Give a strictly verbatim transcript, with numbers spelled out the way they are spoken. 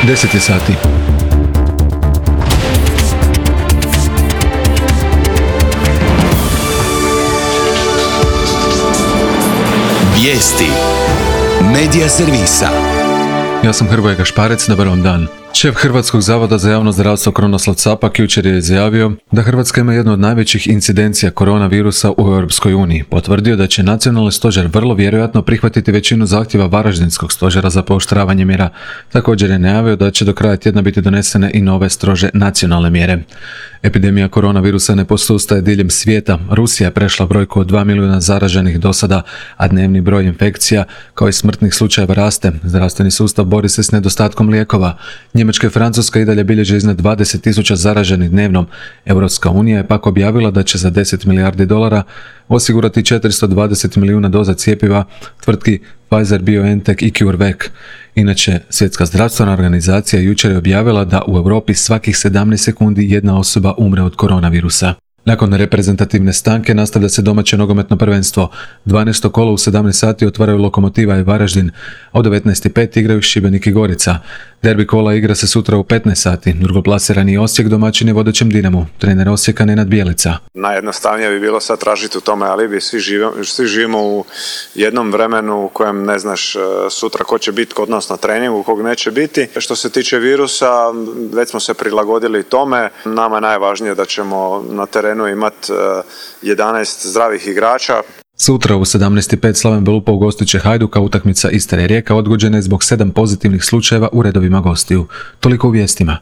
deset je sati. Vijesti Medija servisa. Ja sam Hrvoje Gašparec, dobar vam dan. Šef Hrvatskog zavoda za javno zdravstvo Krunoslav Capak jučer je izjavio da Hrvatska ima jednu od najvećih incidencija koronavirusa u Europskoj uniji. Potvrdio da će nacionalni stožer vrlo vjerojatno prihvatiti većinu zahtjeva Varaždinskog stožera za pooštravanje mjera. Također je najavio da će do kraja tjedna biti donesene i nove strože nacionalne mjere. Epidemija koronavirusa ne posustaje diljem svijeta. Rusija je prešla brojku od dva milijuna zaraženih do sada, a dnevni broj infekcija kao i smrtnih slučajeva raste. Zdravstveni sustav bori se s nedostatkom lijekova. Njemačka i Francuska i dalje bilježe iznad dvadeset tisuća zaraženih dnevno. Europska unija je pak objavila da će za deset milijardi dolara osigurati četiristo dvadeset milijuna doza cjepiva tvrtki Pfizer, BioNTech i CureVac. Inače, Svjetska zdravstvena organizacija jučer je objavila da u Europi svakih sedamnaest sekundi jedna osoba umre od koronavirusa. Nakon reprezentativne stanke nastavlja se domaće nogometno prvenstvo. dvanaesto kolo u sedamnaest sati otvaraju Lokomotiva i Varaždin, a u devetnaest i pet igraju Šibenik i Gorica. Derbi kola igra se sutra u petnaest sati. Drugoplasirani Osijek domaćin je vodećem Dinamu. Trener Osijeka Nenad Bjelica. Najjednostavnije bi bilo sad tražiti u tome alibi. Svi živimo, svi živimo u jednom vremenu u kojem ne znaš sutra ko će biti kod nas na treningu, kog neće biti. Što se tiče virusa, već smo se prilagodili tome. Nama je najvažnije da ćemo na terenu imati jedanaest zdravih igrača. Sutra u sedamnaest i pet Slaven Belupa ugostit će Hajduka. Utakmica Istra i Rijeka odgođena je zbog sedam pozitivnih slučajeva u redovima gostiju. Toliko u vijestima.